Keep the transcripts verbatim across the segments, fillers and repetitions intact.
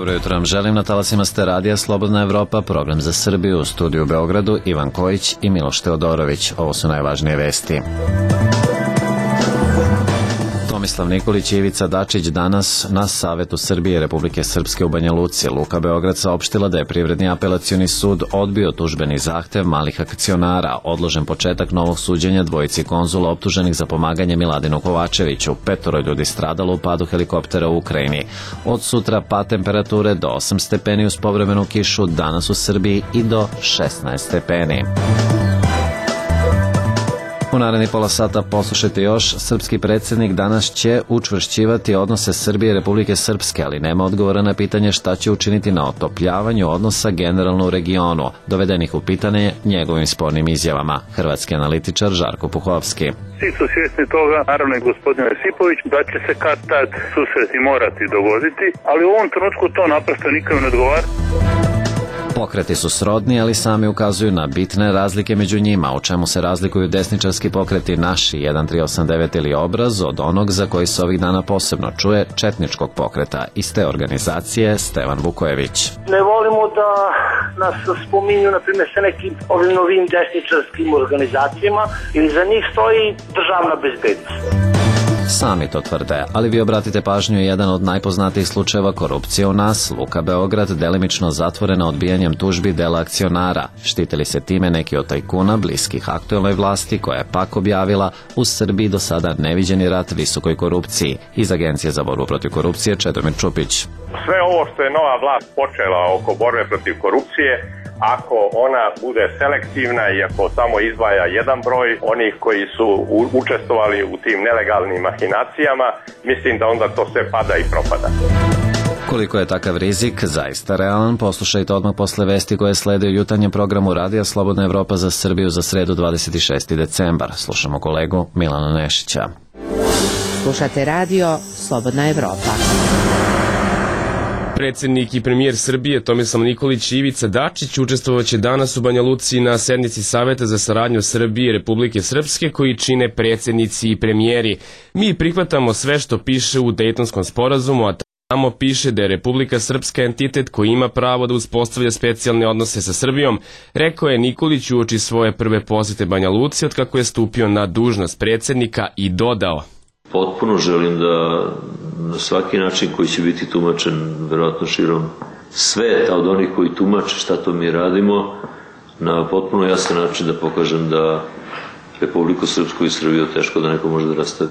Dobro jutro vam želim, na talasima ste radija Slobodna Evropa, program za Srbiju, u studiju u Beogradu Ivan Kojić i Miloš Teodorović. Ovo su najvažnije vesti. Tomislav Nikolić i Ivica Dačić danas na Savetu Srbije i Republike Srpske u Banja Luci. Luka Beograd saopštila da je Privredni apelacioni sud odbio tužbeni zahtev malih akcionara, odložen početak novog suđenja dvojici konzula optuženih za pomaganje Miladinu Kovačeviću. Petoro ljudi stradalo u padu helikoptera u Ukrajini. Od sutra pad temperature do osam stepeni uz povremenu kišu, danas u Srbiji i do šesnaest stepeni. U naredni pola sata poslušajte još. Srpski predsjednik danas će učvršćivati odnose Srbije i Republike Srpske, ali nema odgovora na pitanje šta će učiniti na otopljavanju odnosa generalno u regionu, dovedenih u pitanje njegovim spornim izjavama. Hrvatski analitičar Žarko Puhovski. Svi su svjesni toga, naravno i gospodin Josipović, da će se kad tad susreti morati dogoditi, ali u ovom trenutku to naprosto nikom ne odgovara. Pokreti su srodni, ali sami ukazuju na bitne razlike među njima, u čemu se razlikuju desničarski pokreti Naši jedan tri osam devet ili Obraz od onog za koji se ovih dana posebno čuje četničkog pokreta. Iz te organizacije Stevan Vukojević. Ne volimo da nas spominju, na primjer, sa nekim ovim novim desničarskim organizacijama, ili za njih stoji državna bezbednost. Sami to tvrde, ali vi obratite pažnju, jedan od najpoznatijih slučajeva korupcije u nas, Luka Beograd, delimično zatvorena odbijanjem tužbi dela akcionara. Štitili se time neki od tajkuna bliskih aktuelnoj vlasti, koja je pak objavila u Srbiji do sada neviđeni rat visokoj korupciji. Iz Agencije za borbu protiv korupcije Čedomir Čupić. Sve ovo što je nova vlast počela oko borbe protiv korupcije, ako ona bude selektivna i ako samo izdvaja jedan broj onih koji su učestvovali u tim nelegalnim mahinacijama, mislim da onda to sve pada i propada. Koliko je takav rizik zaista realan, poslušajte odmah posle vesti koje slede u jutarnjem programu Radija Slobodna Evropa za Srbiju za sredu dvadeset šesti decembar. Slušamo kolegu Milana Nešića. Slušate radio Slobodna Evropa. Predsjednik i premijer Srbije Tomislav Nikolić i Ivica Dačić učestvovaće danas u Banja Luci na sednici Saveta za saradnju Srbije i Republike Srpske koji čine predsjednici i premijeri. Mi prihvatamo sve što piše u Dejtonskom sporazumu, a tamo piše da je Republika Srpska entitet koji ima pravo da uspostavlja specijalne odnose sa Srbijom, rekao je Nikolić uoči svoje prve posete Banja Luci od kako je stupio na dužnost predsjednika i dodao: Potpuno želim da na svaki način koji će biti tumačen verovatno širom sveta od onih koji tumače šta to mi radimo, na potpuno jasan način da pokažem da Republiku Srpsku i Srbiju teško da neko može da rastavi.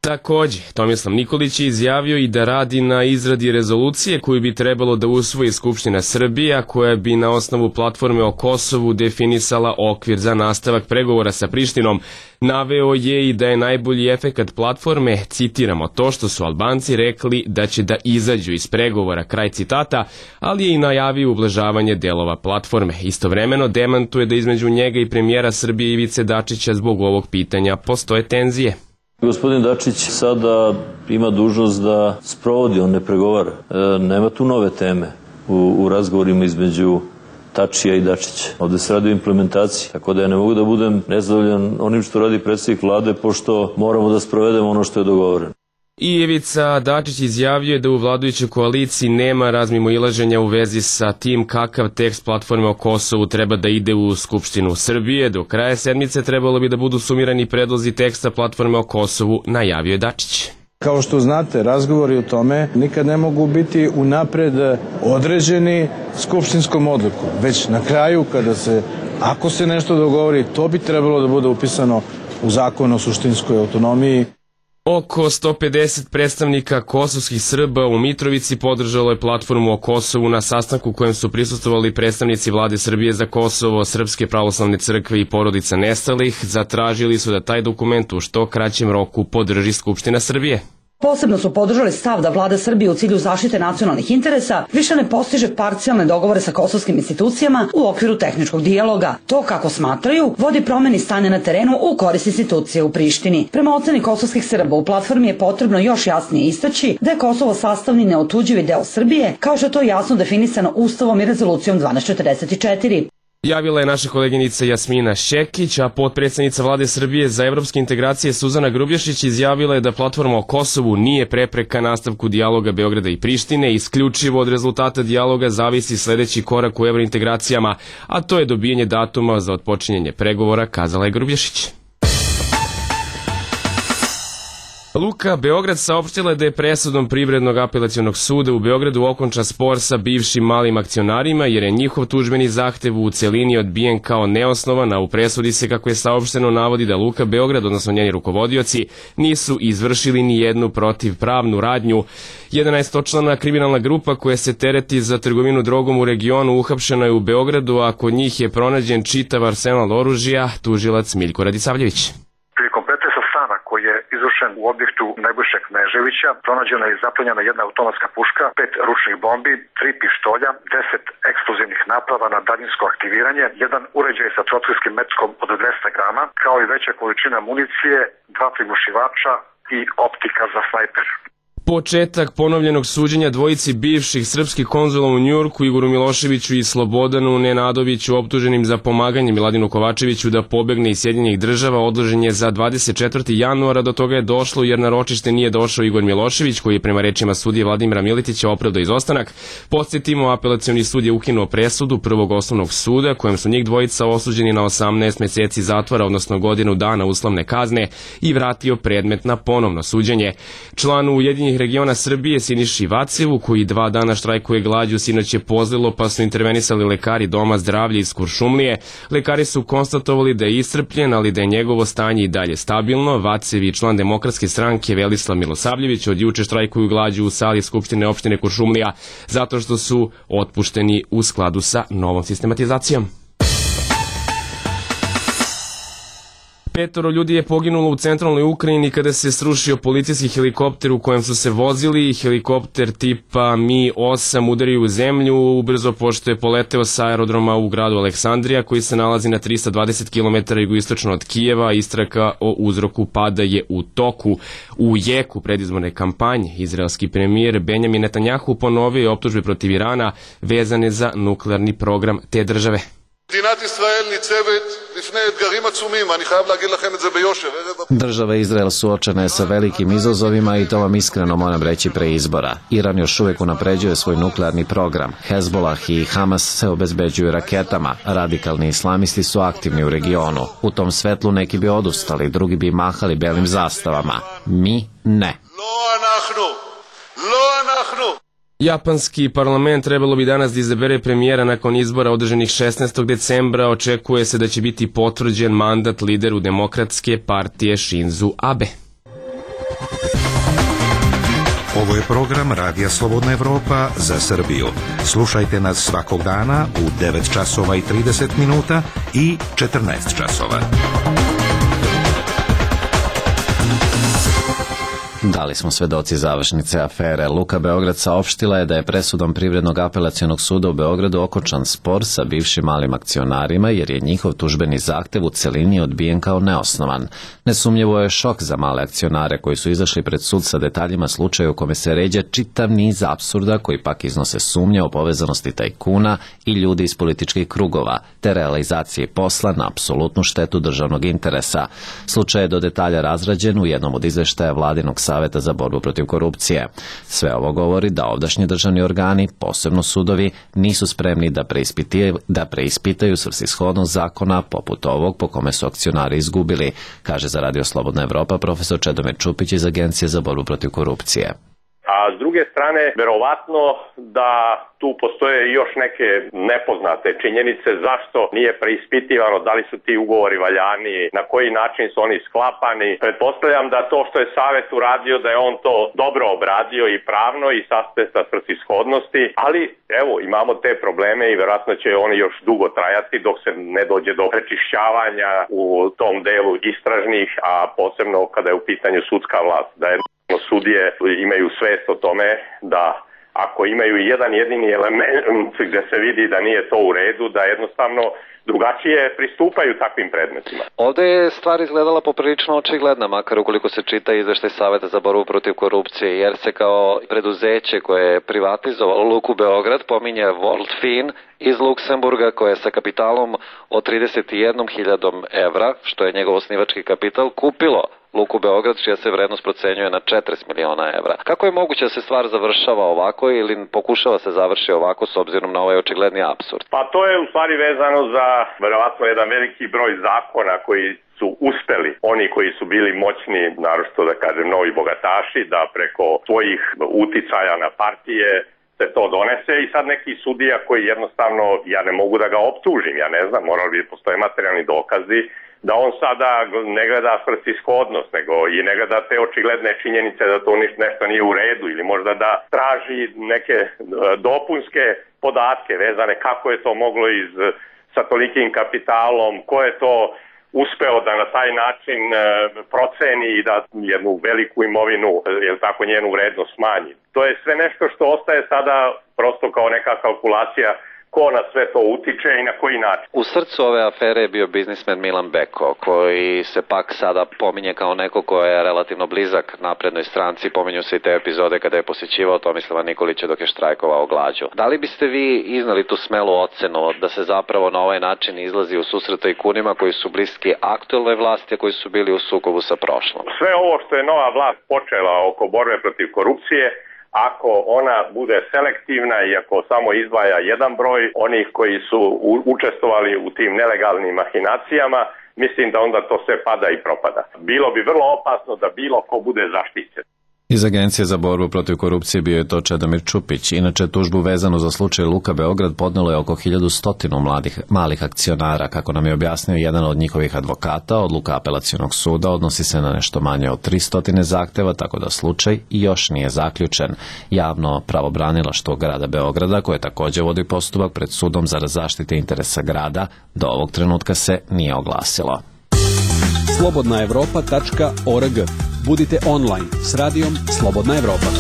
Takođe, Tomislav Nikolić je izjavio i da radi na izradi rezolucije koju bi trebalo da usvoji Skupština Srbije, koja bi na osnovu platforme o Kosovu definisala okvir za nastavak pregovora sa Prištinom. Naveo je i da je najbolji efekat platforme, citiramo, to što su Albanci rekli da će da izađu iz pregovora, kraj citata, ali je i najavio ublažavanje delova platforme. Istovremeno demantuje da između njega i premijera Srbije Ivice Dačića zbog ovog pitanja postoje tenzije. Gospodin Dačić sada ima dužnost da sprovodi, on ne pregovara. E, nema tu nove teme u, u razgovorima između Tačija i Dačića. Ovde se radi o implementaciji, tako da ja ne mogu da budem nezadovoljan onim što radi predsjednik vlade, pošto moramo da sprovedemo ono što je dogovoreno. I Ivica Dačić izjavio je da u vladajućoj koaliciji nema razmimoilaženja u vezi sa tim kakav tekst platforme o Kosovu treba da ide u Skupštinu Srbije. Do kraja sedmice trebalo bi da budu sumirani predlozi teksta platforme o Kosovu, najavio je Dačić. Kao što znate, razgovori o tome nikad ne mogu biti unapred određeni skupštinskom odlukom, već na kraju kada se, ako se nešto dogovori, to bi trebalo da bude upisano u zakon o suštinskoj autonomiji. Oko sto pedeset predstavnika kosovskih Srba u Mitrovici podržalo je platformu o Kosovu na sastanku kojem su prisustvovali predstavnici vlade Srbije za Kosovo, Srpske pravoslavne crkve i porodica nestalih. Zatražili su da taj dokument u što kraćem roku podrži Skupština Srbije. Posebno su podržali stav da vlada Srbije u cilju zaštite nacionalnih interesa više ne postiže parcijalne dogovore sa kosovskim institucijama u okviru tehničkog dijaloga. To, kako smatraju, vodi promeni stanja na terenu u korist institucije u Prištini. Prema oceni kosovskih Srba u platformi je potrebno još jasnije istaći da je Kosovo sastavni neotuđivi deo Srbije, kao što je to jasno definisano Ustavom i rezolucijom dvanaest četrdeset četiri. Javila je naša koleginica Jasmina Šekić, a potpredsjednica Vlade Srbije za evropske integracije Suzana Grubješić izjavila je da platforma o Kosovu nije prepreka nastavku dijaloga Beograda i Prištine. Isključivo od rezultata dijaloga zavisi sledeći korak u evrointegracijama, a to je dobijanje datuma za otpočinjanje pregovora, kazala je Grubješić. Luka Beograd saopštila je da je presudom Privrednog apelacionog suda u Beogradu okončan spor sa bivšim malim akcionarima jer je njihov tužbeni zahtev u celini odbijen kao neosnovan, a u presudi se, kako je saopšteno, navodi da Luka Beograd, odnosno njeni rukovodioci, nisu izvršili ni jednu protivpravnu radnju. jedanaestočlana kriminalna grupa koja se tereti za trgovinu drogom u regionu uhapšena je u Beogradu, a kod njih je pronađen čitav arsenal oružja, tužilac Miljko Radisavljević. Koji je izvršen u objektu Nebojše Kneževića, pronađena je i zaplenjena jedna automatska puška, pet ručnih bombi, tri pištolja, deset eksplozivnih naprava na daljinsko aktiviranje, jedan uređaj sa trofejskim metkom od dvesta grama, kao i veća količina municije, dva prigušivača i optika za snajper. Početak ponovljenog suđenja dvojici bivših srpskih konzula u Njujorku, Igoru Miloševiću i Slobodanu Nenadoviću, optuženim za pomaganje Miladinu Kovačeviću da pobegne iz Sjedinjenih država, odložen je za dvadeset četvrtog januara. Do toga je došlo jer na ročište nije došao Igor Milošević, koji je prema rečima sudije Vladimira Miletića opravdao izostanak. Podsjetimo, apelacioni sud je ukinuo presudu Prvog osnovnog suda, kojem su njih dvojica osuđeni na osamnaest meseci zatvora, odnosno godinu dana uslovne kazne, i vratio predmet na ponovno suđenje. Članu Ujedinjenih regiona Srbije Siniši Vacevu, koji dva dana štrajkuje glađu, sinoć je pozlilo, pa su intervenisali lekari Doma zdravlja iz Kuršumlije. Lekari su konstatovali da je iscrpljen, ali da je njegovo stanje i dalje stabilno. Vacev i član Demokratske stranke Velislav Milosavljević od juče štrajkuju glađu u sali Skupštine opštine Kuršumlija zato što su otpušteni u skladu sa novom sistematizacijom. Petoro ljudi je poginulo u centralnoj Ukrajini kada se srušio policijski helikopter u kojem su se vozili. Helikopter tipa Mi osam udario u zemlju ubrzo pošto je poleteo sa aerodroma u gradu Aleksandrija, koji se nalazi na trista dvadeset kilometara jugoistočno od Kijeva. Istraga o uzroku pada je u toku. U jeku predizborne kampanje izraelski premijer Benjamin Netanjahu ponovio je optužbe protiv Irana vezane za nuklearni program te države. Država Izrael suočena je sa velikim izazovima i to vam iskreno moram reći pre izbora. Iran još uvek unapređuje svoj nuklearni program. Hezbolah i Hamas se obezbeđuju raketama. Radikalni islamisti su aktivni u regionu. U tom svetlu neki bi odustali, drugi bi mahali belim zastavama. Mi ne. Japanski parlament trebalo bi danas da izabere premijera nakon izbora održanih šesnaestog decembra. Očekuje se da će biti potvrđen mandat lideru Demokratske partije Shinzu Abe. Ovo je program Radija Slobodna Evropa za Srbiju. Slušajte nas svakog dana u devet časova i trideset minuta i četrnaest časova. Dali smo svedoci završnice afere. Luka Beograd saopštila je da je presudom Privrednog apelacionog suda u Beogradu okončan spor sa bivšim malim akcionarima jer je njihov tužbeni zahtev u celini odbijen kao neosnovan. Nesumnjivo je šok za male akcionare koji su izašli pred sud sa detaljima slučaja u kome se ređa čitav niz apsurda koji pak iznose sumnje o povezanosti tajkuna i ljudi iz političkih krugova, te realizacije posla na apsolutnu štetu državnog interesa. Slučaj je do detalja razrađen u jednom od izveštaja Vladinog Saveta za borbu protiv korupcije. Sve ovo govori da ovdašnji državni organi, posebno sudovi, nisu spremni da preispitaju, da preispitaju svrsishodnost zakona poput ovog po kome su akcionari izgubili, kaže za Radio Slobodna Evropa profesor Čedomir Čupić iz Agencije za borbu protiv korupcije. A s druge strane, verovatno da tu postoje još neke nepoznate činjenice zašto nije preispitivano da li su ti ugovori valjani, na koji način su oni sklapani. Pretpostavljam da to što je Savet uradio, da je on to dobro obradio i pravno i sa aspekta svrsishodnosti, ali evo imamo te probleme i verovatno će oni još dugo trajati dok se ne dođe do prečišćavanja u tom delu istražnih, a posebno kada je u pitanju sudska vlast, da je sudije imaju svest o tome da ako imaju jedan jedini element gde se vidi da nije to u redu, da jednostavno drugačije pristupaju takvim predmetima. Ovde je stvar izgledala poprilično očigledna, makar ukoliko se čita izveštaj Saveta za borbu protiv korupcije, jer se kao preduzeće koje je privatizovalo Luku Beograd pominje Worldfin iz Luksemburga, koje je sa kapitalom od trideset jednom hiljadom evra, što je njegov osnivački kapital, kupilo Luku Beograd, čija se vrednost procenjuje na četrdeset miliona evra. Kako je moguće da se stvar završava ovako ili pokušava se završi ovako s obzirom na ovaj očigledni apsurd? Pa to je u stvari vezano za verovatno jedan veliki broj zakona koji su uspeli, oni koji su bili moćni, naročito da kažem novi bogataši, da preko svojih uticaja na partije se to donese i sad neki sudija koji jednostavno, ja ne mogu da ga optužim, ja ne znam, morali bi postoje materijalni dokazi, da on sada ne gleda svrsishodnost, nego i ne gleda te očigledne činjenice da to nešto nije u redu ili možda da traži neke dopunske podatke vezane kako je to moglo iz, sa tolikim kapitalom, ko je to uspeo da na taj način proceni i da jednu veliku imovinu, jel tako, njenu vrednost smanji. To je sve nešto što ostaje sada prosto kao neka kalkulacija ko na sve to utiče i na koji način. U srcu ove afere je bio biznismen Milan Beko, koji se pak sada pominje kao neko ko je relativno blizak naprednoj stranci. Pominju se i te epizode kada je posjećivao Tomislava Nikolića dok je štrajkovao glađu. Da li biste vi iznali tu smelu ocenu da se zapravo na ovaj način izlazi u susret tajkunima koji su bliski aktuelnoj vlasti, a koji su bili u sukobu sa prošlom? Sve ovo što je nova vlast počela oko borbe protiv korupcije, ako ona bude selektivna i ako samo izdvaja jedan broj onih koji su učestvovali u tim nelegalnim mahinacijama, mislim da onda to sve pada i propada. Bilo bi vrlo opasno da bilo ko bude zaštićen. Iz Agencije za borbu protiv korupcije bio je to Čedomir Čupić. Inače, tužbu vezanu za slučaj Luka Beograd podnelo je oko hiljadu sto mladih, malih akcionara. Kako nam je objasnio jedan od njihovih advokata, odluka apelacionog suda odnosi se na nešto manje od tristo zahteva, tako da slučaj još nije zaključen. Javno pravobranilaštvo grada Beograda, koje također vodi postupak pred sudom za zaštite interesa grada, do ovog trenutka se nije oglasilo. slobodna evropa tačka org. Budite online s radijom Slobodna Evropa.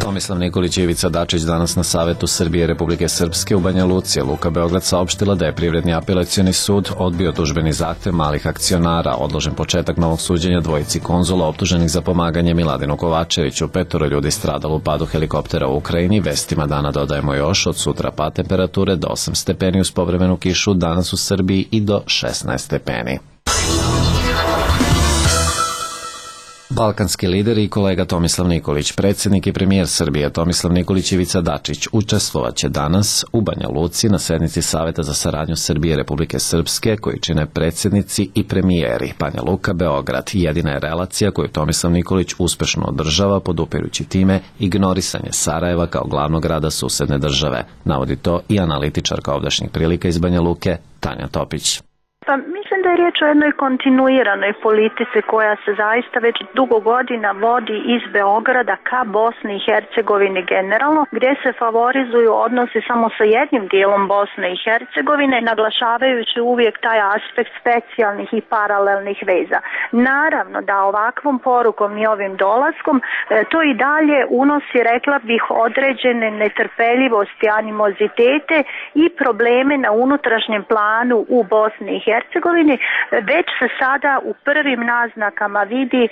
Tomislav Nikolić i Ivica Dačić danas na Savetu Srbije Republike Srpske u Banja Luci. Luka Beograd saopštila da je Privredni apelacioni sud odbio tužbeni zahtev malih akcionara, odložen početak novog suđenja dvojici konzula optuženih za pomaganje Miladinu Kovačeviću. Petoro ljudi stradalo u padu helikoptera u Ukrajini. Vestima dana dodajemo još, od sutra pad temperature do osam stepeni uz povremenu kišu, danas u Srbiji i do šesnaest stepeni. Balkanski lider i kolega Tomislav Nikolić, predsjednik i premijer Srbije Tomislav Nikolić i Ivica Dačić učestvovat će danas u Banja Luci na sednici Saveta za saradnju Srbije Republike Srpske, koji čine predsjednici i premijeri. Banja Luka, Beograd, jedina je relacija koju Tomislav Nikolić uspešno održava, podupirući time ignorisanje Sarajeva kao glavnog grada susedne države. Navodi to i analitičarka ovdašnjih prilika iz Banja Luke, Tanja Topić. Pa mislim da je riječ o jednoj kontinuiranoj politici koja se zaista već dugo godina vodi iz Beograda ka Bosni i Hercegovini generalno, gdje se favorizuju odnosi samo sa jednim dijelom Bosne i Hercegovine, naglašavajući uvijek taj aspekt specijalnih i paralelnih veza. Naravno da ovakvom porukom i ovim dolaskom e, to i dalje unosi, rekla bih, određene netrpeljivosti, animozitete i probleme na unutrašnjem planu u Bosni i Hercegovini. Već se sada u prvim naznakama vidi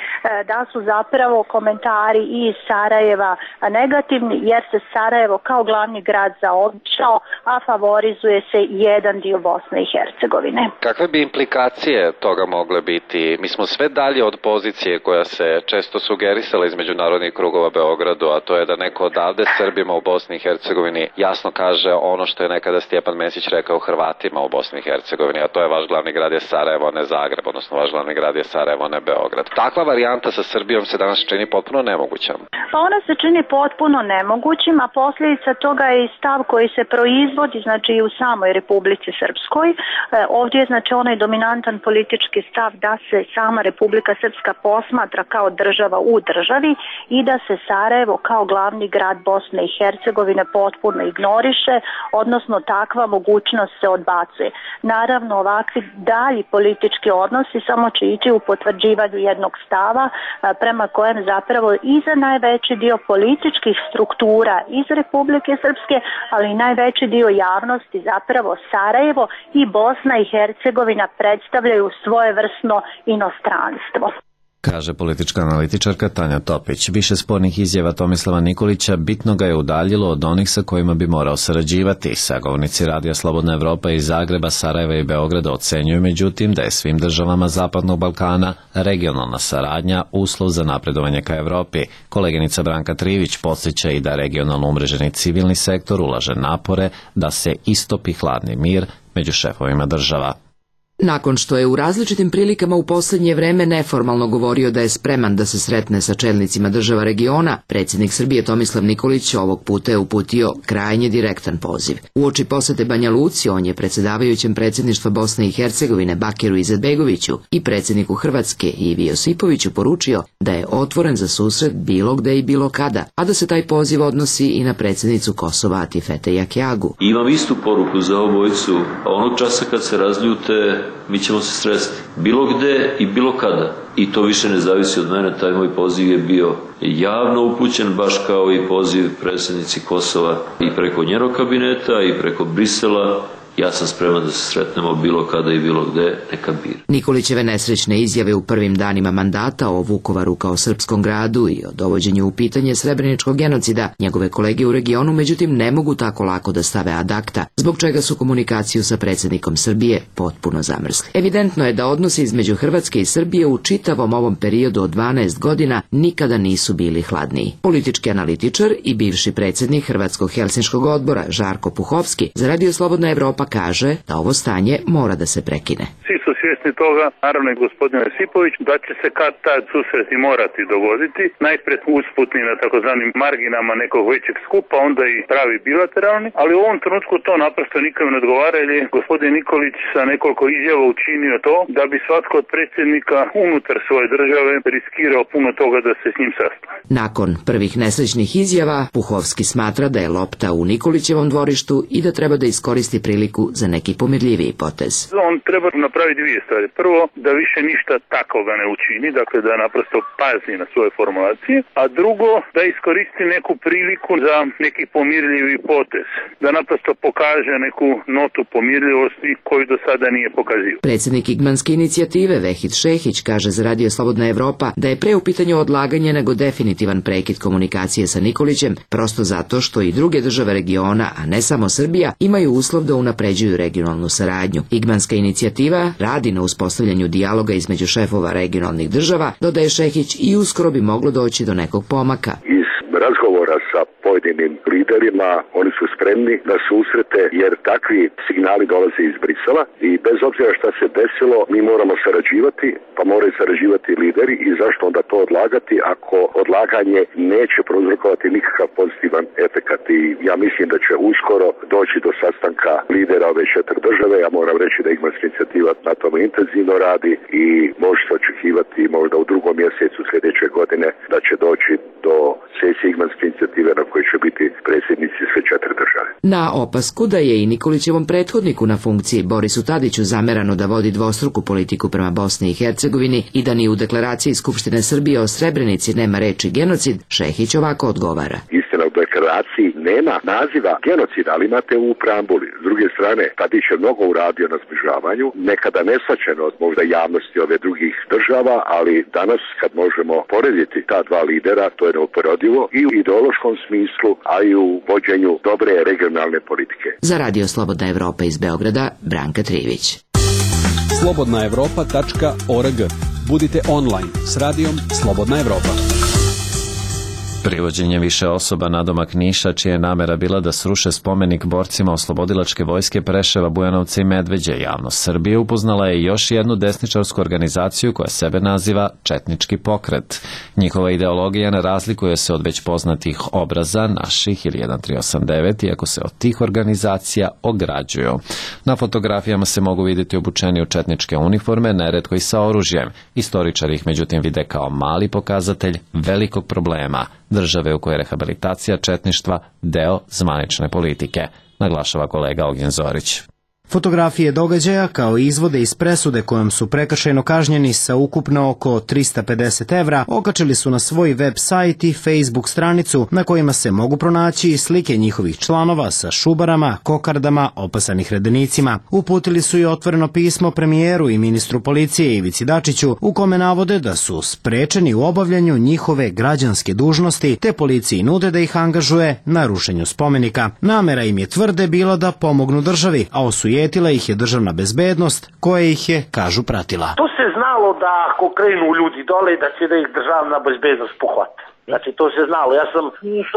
da su zapravo komentari iz Sarajeva negativni, jer se Sarajevo kao glavni grad zaobišao, a favorizuje se jedan dio Bosne i Hercegovine. Kakve bi implikacije toga mogle biti? Mi smo sve dalje od pozicije koja se često sugerisala iz međunarodnih krugova Beogradu, a to je da neko odavde Srbima u Bosni i Hercegovini jasno kaže ono što je nekada Stjepan Mesić rekao Hrvatima u Bosni i Hercegovini, a to je vaš glavni grad je Sarajevo, ne Zagreb, odnosno vaš glavni grad je Sarajevo, ne Beograd. Takva varijanta sa Srbijom se danas čini potpuno nemogućom. Pa ona se čini potpuno nemogućim, a posljedica toga je i stav koji se proizvodi, znači i u samoj Republici Srpskoj. E, ovdje je znači onaj dominantan politički stav da se sama Republika Srpska posmatra kao država u državi i da se Sarajevo kao glavni grad Bosne i Hercegovine potpuno ignoriše, odnosno takva mogućnost se odbacuje. Naravno, ovakvi dalji dalji politički odnosi samo će ići u potvrđivanju jednog stava prema kojem zapravo i za najveći dio političkih struktura iz Republike Srpske, ali i najveći dio javnosti zapravo Sarajevo i Bosna i Hercegovina predstavljaju svojevrsno inostranstvo. Kaže politička analitičarka Tanja Topić. Više spornih izjava Tomislava Nikolića bitno ga je udaljilo od onih sa kojima bi morao sarađivati. Sagovornici Radija Slobodna Evropa iz Zagreba, Sarajeva i Beograda ocenjuju međutim da je svim državama Zapadnog Balkana regionalna saradnja uslov za napredovanje ka Evropi. Koleginica Branka Trivić podsjeća i da regionalno umreženi civilni sektor ulaže napore da se istopi hladni mir među šefovima država. Nakon što je u različitim prilikama u posljednje vreme neformalno govorio da je spreman da se sretne sa čelnicima država regiona, predsjednik Srbije Tomislav Nikolić ovog puta je uputio krajnje direktan poziv. Uoči posete Banja Luci on je predsjedavajućem predsjedništva Bosne i Hercegovine Bakiru Izetbegoviću i predsjedniku Hrvatske Ivi Josipoviću poručio da je otvoren za susret bilo gde i bilo kada, a da se taj poziv odnosi i na predsjednicu Kosova Atifete Jakjagu. Imam istu poruku za obojicu, a onog časa kad se razljute mi ćemo se sresti. Bilo gde i bilo kada. I to više ne zavisi od mene, taj moj poziv je bio javno upućen, baš kao i poziv predsjednici Kosova i preko njenog kabineta i preko Brisela. Ja sam spreman da se sretnemo bilo kada i bilo gde, neka bira. Nikolićeve nesrećne izjave u prvim danima mandata o Vukovaru kao srpskom gradu i o dovođenju u pitanje srebreničkog genocida njegove kolege u regionu međutim ne mogu tako lako da stave ad acta, zbog čega su komunikaciju sa predsjednikom Srbije potpuno zamrzli. Evidentno je da odnosi između Hrvatske i Srbije u čitavom ovom periodu od dvanaest godina nikada nisu bili hladniji. Politički analitičar i bivši predsjednik Hrvatskog helsinškog odbora Žarko Puhovski za Radio Slobodna Evropa kaže da ovo stanje mora da se prekine. Svi su svjesni toga, naravno i gospodin Josipović, da će se kad tad susreti morati dogoditi, najpred usputni na takozvanim marginama nekog većeg skupa, onda i pravi bilateralni, ali u ovom trenutku to naprosto nikom ne odgovara jer je gospodin Nikolić sa nekoliko izjava učinio to da bi svatko od predsjednika unutar svoje države riskirao puno toga da se s njim sastane. Nakon prvih nesrećnih izjava, Puhovski smatra da je lopta u Nikolićevom dvorištu i da treba da iskoristi priliku za neki pomirljiviji potez. On treba napraviti dvije stvari. Prvo, da više ništa takvoga ne učini, dakle da naprosto pazi na svoje formulacije, a drugo, da iskoristi neku priliku za neki pomirljivi potez, da naprosto pokaže neku notu pomirljivosti koju do sada nije pokazio. Predsjednik Igmanske inicijative Vehid Šehić kaže za Radio Slobodna Evropa da je pre u pitanju odlaganje nego definitivan prekid komunikacije sa Nikolićem, prosto zato što i druge države regiona, a ne samo Srbija, imaju uslov da unapređuju regionalnu saradnju. Igmanska inicijativa radi na uspostavljanju dijaloga između šefova regionalnih država, dodaje Šehić, i uskoro bi moglo doći do nekog pomaka. Iz razgovora sa pojedinim liderima oni su spremni na susrete jer takvi signali dolaze iz Brisela i bez obzira šta se desilo mi moramo sarađivati, pa moraju sarađivati lideri i zašto onda to odlagati ako odlaganje neće prouzrokovati nikakav pozitivan efekat. I ja mislim da će uskoro doći do sastanka lidera ove četiri države. Ja moram reći da Igmanska inicijativa na tome intenzivno radi i može se očekivati možda u drugom mjesecu sljedeće godine da će doći do sesije Igmanske inicijative na kojoj će biti predsjednici sve četiri države. Na opasku da je i Nikolićevom prethodniku na funkciji Borisu Tadiću zamerano da vodi dvostruku politiku prema Bosni i Hercegovini i da ni u deklaraciji Skupštine Srbije o Srebrenici nema reči genocid, Šehić ovako odgovara. Istina, u deklaraciji nema naziva genocida, ali imate u preambuli. S druge strane, Tadić je mnogo uradio na zbližavanju, nekada nesvaćeno od možda javnosti ove drugih država, ali danas kad možemo porediti ta dva lidera, to je neuporedivo i u ideološkom smislu, a i u vođenju dobre regionalne politike. Za Radio Slobodna Evropa iz Beograda, Branka Trivić. slobodna evropa tačka org. Budite online s radijom Slobodna Evropa. Privođenje više osoba nadomak Niša, čija je namera bila da sruše spomenik borcima oslobodilačke vojske Preševa, Bujanovca i Medveđe, javnost Srbije upoznala je još jednu desničarsku organizaciju koja sebe naziva Četnički pokret. Njihova ideologija ne razlikuje se od već poznatih obraza naših ili jedan tri osam devet, iako se od tih organizacija ograđuju. Na fotografijama se mogu vidjeti obučeni u četničke uniforme, neretko i sa oružjem. Istoričari ih međutim vide kao mali pokazatelj velikog problema, države u kojoj je rehabilitacija četništva deo zvanične politike, naglašava kolega Ognjen Zorić. Fotografije događaja kao i izvode iz presude kojom su prekršajno kažnjeni sa ukupno oko trista pedeset evra okačili su na svoj web sajt i Facebook stranicu na kojima se mogu pronaći i slike njihovih članova sa šubarama, kokardama, opasanih redenicima. Uputili su i otvoreno pismo premijeru i ministru policije Ivici Dačiću u kome navode da su sprečeni u obavljanju njihove građanske dužnosti te policiji nude da ih angažuje na rušenju spomenika. Namera im je tvrde bila da pomognu državi, a osujetila ih je državna bezbednost koja ih je, kažu, pratila. To se znalo da ako krenu ljudi dole da će da ih državna bezbednost pohvata. Znači, to se znalo. Ja sam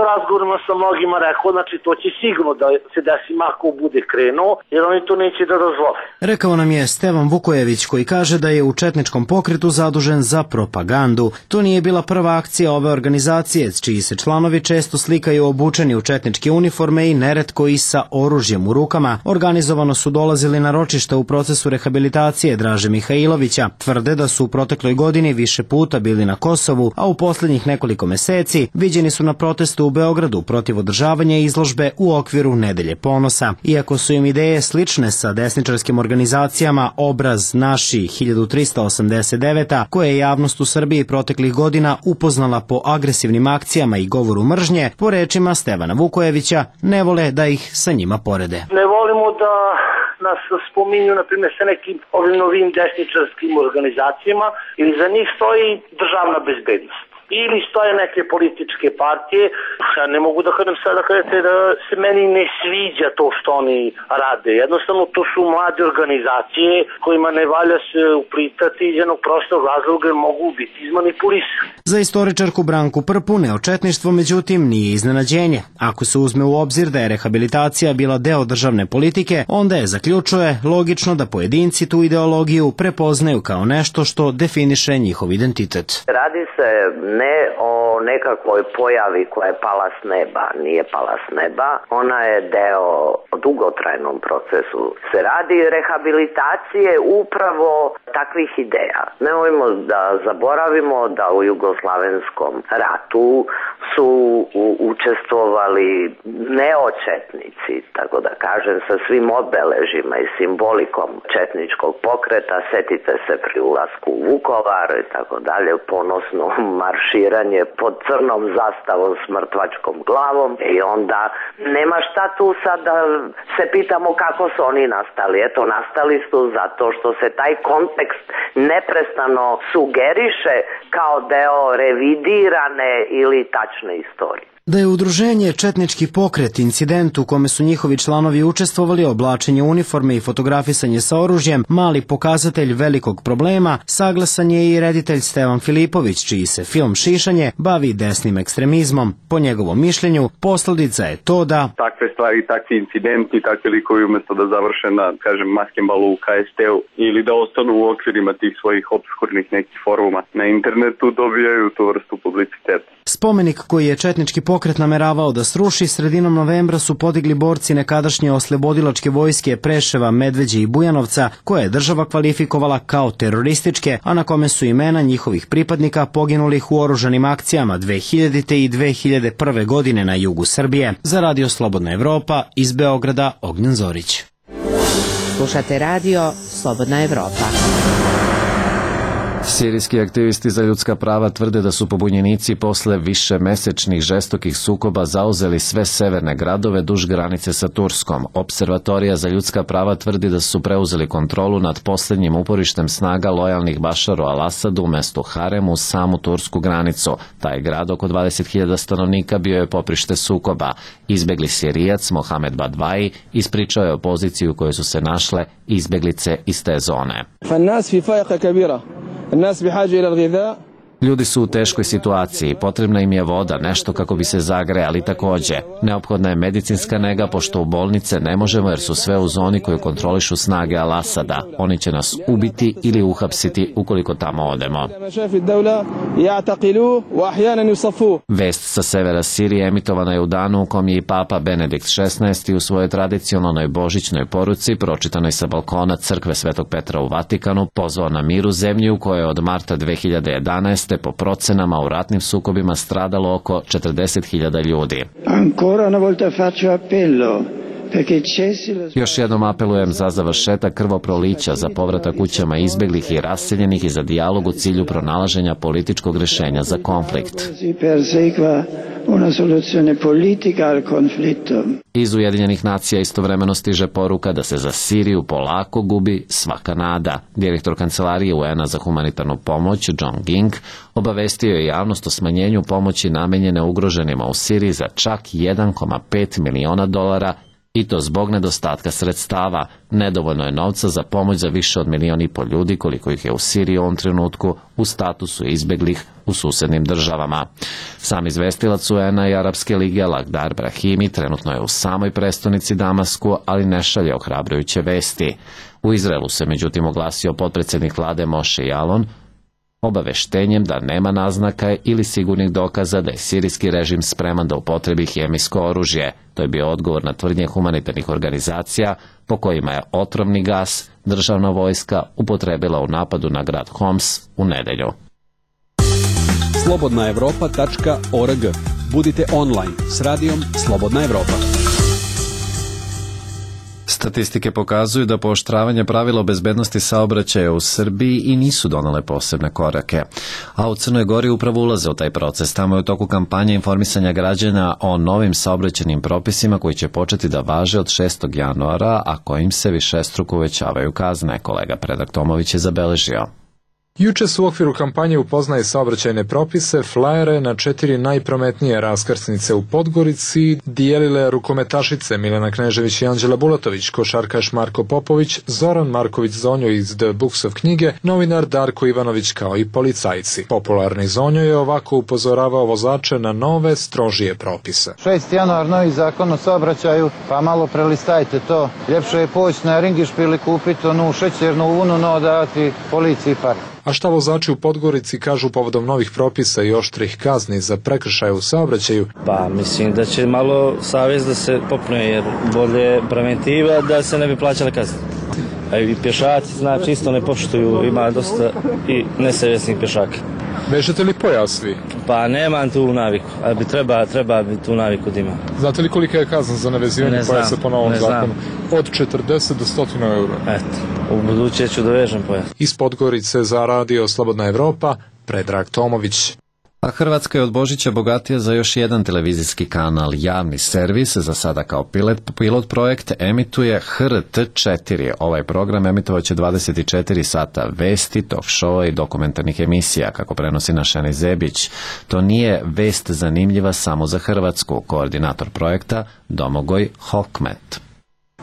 u razgovorima sa mnogima rekao, znači, to će sigurno da se desi ako bude krenuo, jer oni to neće da dozvole. Rekao nam je Stevan Vukojević, koji kaže da je u četničkom pokretu zadužen za propagandu. To nije bila prva akcija ove organizacije, čiji se članovi često slikaju obučeni u četničke uniforme i neretko i sa oružjem u rukama. Organizovano su dolazili na ročišta u procesu rehabilitacije Draže Mihajlovića. Tvrde da su u protekloj godini više puta bili na Kosovu, a u poslednjih nekoliko meseci viđeni su na protestu u Beogradu protiv održavanja izložbe u okviru Nedelje ponosa. Iako su im ideje slične sa desničarskim organizacijama Obraz naši hiljadu trista osamdeset devet, koje je javnost u Srbiji proteklih godina upoznala po agresivnim akcijama i govoru mržnje, po rečima Stevana Vukojevića, ne vole da ih sa njima porede. Ne volimo da nas spominju, na primjer, sa nekim ovim novim desničarskim organizacijama, ili za njih stoji državna bezbednost. Ili stoje neke političke partije. Ja ne mogu da kažem sada kažete da se meni ne sviđa to što oni rade. Jednostavno to su mlade organizacije kojima ne valja se uplitati iz jednog prostog razloga jer mogu biti izmanipulisani. Za istoričarku Branku Prpu neočetništvo međutim nije iznenađenje. Ako se uzme u obzir da je rehabilitacija bila deo državne politike, onda je, zaključuje, logično da pojedinci tu ideologiju prepoznaju kao nešto što definiše njihov identitet. Radi se ne o nekakvoj pojavi koja je pala s neba, nije pala s neba, ona je deo dugotrajnom procesu. Se radi rehabilitacije upravo takvih ideja. Nemojmo da zaboravimo da u jugoslavenskom ratu su učestvovali neočetnici, tako da kažem, sa svim obeležima i simbolikom četničkog pokreta. Setite se pri ulasku u Vukovar i tako dalje, ponosno marširanje pod crnom zastavom s mrtvačkom glavom i onda nema šta tu sad da se pitamo kako su oni nastali. Eto, nastali su zato što se taj kontekst neprestano sugeriše kao deo revidirane ili tačne istorije. Da je udruženje Četnički pokret incident u kome su njihovi članovi učestvovali, oblačenje uniforme i fotografisanje sa oružjem, mali pokazatelj velikog problema, saglasan je i reditelj Stevan Filipović, čiji se film Šišanje bavi desnim ekstremizmom. Po njegovom mišljenju, posledica je to da takve stvari, takvi incidenti, takvi likovi umjesto da završe na, kažem, maskembalu u K S T-u ili da ostanu u okvirima tih svojih obskurnih nekih foruma na internetu, dobijaju tu vrstu publiciteta. Spomenik koji je Četnički pokret nameravao da sruši, sredinom novembra su podigli borci nekadašnje oslobodilačke vojske Preševa, Medveđe i Bujanovca, koje je država kvalifikovala kao terorističke, a na kome su imena njihovih pripadnika poginulih u oružanim akcijama dve hiljadite. i dve hiljade prve. godine na jugu Srbije. Za Radio Slobodna Evropa, iz Beograda, Ognjen Zorić. Slušate radio Slobodna Evropa. Sirijski aktivisti za ljudska prava tvrde da su pobunjenici posle višemesečnih žestokih sukoba zauzeli sve severne gradove duž granice sa Turskom. Observatorija za ljudska prava tvrdi da su preuzeli kontrolu nad posljednjim uporištem snaga lojalnih Bašaru al-Asadu u mestu Harem uz samu tursku granicu. Taj grad, oko dvadeset hiljada stanovnika, bio je poprište sukoba. Izbegli Sirijac Mohamed Badvaji ispričao je o poziciji u kojoj su se našle izbeglice iz te zone. Ljudi su u teškoj situaciji, potrebna im je voda, nešto kako bi se zagrejali takođe. Neophodna je medicinska nega, pošto u bolnice ne možemo jer su sve u zoni koju kontrolišu snage Al-Asada. Oni će nas ubiti ili uhapsiti ukoliko tamo odemo. Vest sa severa Sirije emitovana je u danu u kom je i Papa Benedikt šesnaesti u svojoj tradicionalnoj božićnoj poruci, pročitanoj sa balkona crkve Svetog Petra u Vatikanu, pozvao na mir u zemlji u kojoj je od marta dve hiljade jedanaeste. po procenama u ratnim sukobima stradalo oko četrdeset hiljada ljudi. Ancora una volta faccio appello Još jednom apelujem za završetak krvoprolića, za povratak kućama izbeglih i raseljenih i za dijalog u cilju pronalaženja političkog rješenja za konflikt. Iz Ujedinjenih nacija istovremeno stiže poruka da se za Siriju polako gubi svaka nada. Direktor Kancelarije U N A za humanitarnu pomoć, John Ging, obavestio je javnost o smanjenju pomoći namenjene ugroženima u Siriji za čak jedan zarez pet miliona dolara, i to zbog nedostatka sredstava. Nedovoljno je novca za pomoć za više od milion i pol ljudi koliko ih je u Siriji u ovom trenutku u statusu izbeglih u susednim državama. Sam izvestilac U N A i Arapske lige Lakhdar Brahimi trenutno je u samoj prestonici Damasku, ali ne šalje ohrabrujuće vesti. U Izraelu se međutim oglasio potpredsjednik vlade Moshe Yaalon obaveštenjem da nema naznaka ili sigurnih dokaza da je sirijski režim spreman da upotrebi hemijsko oružje. To je bio odgovor na tvrdnje humanitarnih organizacija po kojima je otrovni gas državna vojska upotrebila u napadu na grad Homs u nedelju. slobodna evropa tačka org. Budite online s radijom Slobodna Evropa. Statistike pokazuju da pooštravanje pravila o bezbednosti saobraćaja u Srbiji i nisu donele posebne korake. A u Crnoj Gori upravo ulaze u taj proces. Tamo je u toku kampanje informisanja građana o novim saobraćajnim propisima koji će početi da važe od šestog januara, a kojim se višestruko uvećavaju kazne. Kolega Predrag Tomović je zabeležio. Juče su u okviru kampanje Upoznaje saobraćajne propise flajere na četiri najprometnije raskrsnice u Podgorici dijelile rukometašice Milena Knežević i Anđela Bulatović, košarkaš Marko Popović, Zoran Marković Zonjo iz The Books of knjige, novinar Darko Ivanović kao i policajci. Popularni Zonjo je ovako upozoravao vozače na nove, strožije propise. šesti januar, novi zakon o saobraćaju, pa malo prelistajte to. Ljepše je poći na Ringišpil i kupiti onu šećernu vunu, no dati policiji par. A šta vozači u Podgorici kažu povodom novih propisa i oštrih kazni za prekršaje u saobraćaju? Pa mislim da će malo savjest da se popne, jer bolje preventiva da se ne bi plaćale kazne. A i pješaci znači isto ne poštuju, ima dosta i nesavjesnih pješaka. Vežete li pojas vi? Pa nemam tu naviku, ali bi treba, treba bi tu naviku da imam. Znate li kolika je kazna za nevezivanje ne pojasa po novom zakonu? Od četrdeset do sto eura. Eto, u buduće ću da vežem pojas. Iz Podgorice za radio Slobodna Evropa, Predrag Tomović. A Hrvatska je od Božića bogatija za još jedan televizijski kanal. Javni servis, za sada kao pilot, pilot projekt, emituje H R T četiri. Ovaj program emitovaće dvadeset četiri sata vesti, talk showa i dokumentarnih emisija, kako prenosi Našeni Zebić. To nije vest zanimljiva samo za Hrvatsku, koordinator projekta Domagoj Hokmet.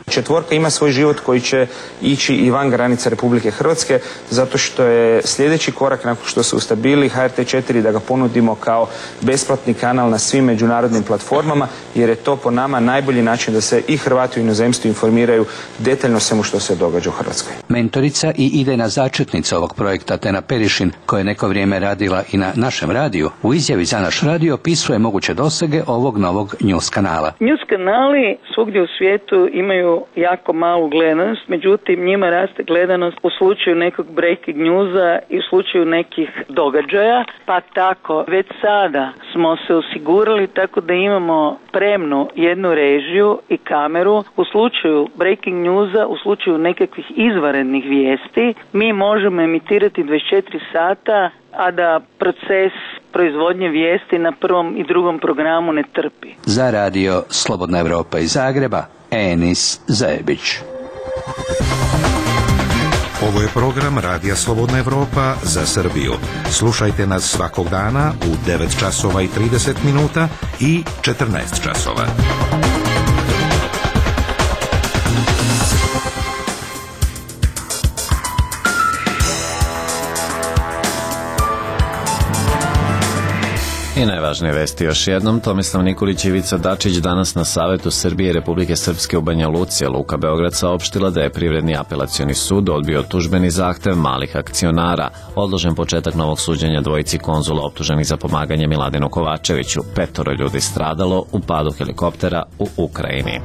Četvorka ima svoj život koji će ići i van granica Republike Hrvatske, zato što je sljedeći korak nakon što se ustabili H R T četiri da ga ponudimo kao besplatni kanal na svim međunarodnim platformama, jer je to po nama najbolji način da se i Hrvati u inozemstvu informiraju detaljno svemu što se događa u Hrvatskoj. Mentorica i idejna začetnica ovog projekta Tena Perišin, koja je neko vrijeme radila i na našem radiju, u izjavi za naš radio opisuje moguće dosege ovog novog news kanala. News kanali svugdje u svijetu imaju jako malu gledanost, međutim njima raste gledanost u slučaju nekog breaking newsa i u slučaju nekih događaja, pa tako već sada smo se osigurali tako da imamo spremnu jednu režiju i kameru u slučaju breaking newsa, u slučaju nekakvih izvanrednih vijesti. Mi možemo emitirati dvadeset četiri sata, a da proces proizvodnje vijesti na prvom i drugom programu ne trpi. Za radio Slobodna Evropa iz Zagreba, Enis Zajebić. Ovo je program Radija Slobodna Evropa za Srbiju. Slušajte nas svakog dana u devet časova i trideset minuta i četrnaest časova. I najvažnije vesti još jednom. Tomislav Nikolić i Ivica Dačić danas na Savetu Srbije i Republike Srpske u Banja Luci. Luka Beograd saopštila da je Privredni apelacioni sud odbio tužbeni zahtev malih akcionara. Odložen početak novog suđenja dvojici konzula optuženih za pomaganje Miladinu Kovačeviću. Petoro ljudi stradalo u padu helikoptera u Ukrajini.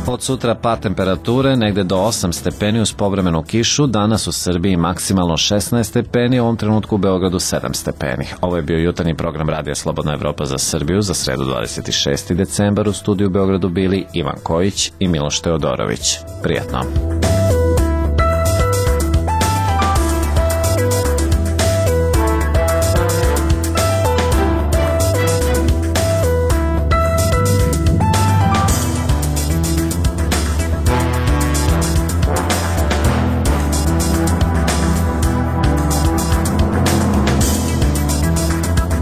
Od sutra pad temperature negde do osam stepeni uz povremenu kišu, danas u Srbiji maksimalno šesnaest stepeni, u ovom trenutku u Beogradu sedam stepeni. Ovo je bio jutarnji program Radija Slobodna Evropa za Srbiju za sredu dvadeset šesti decembar. U studiju u Beogradu bili Ivan Kojić i Miloš Teodorović. Prijatno.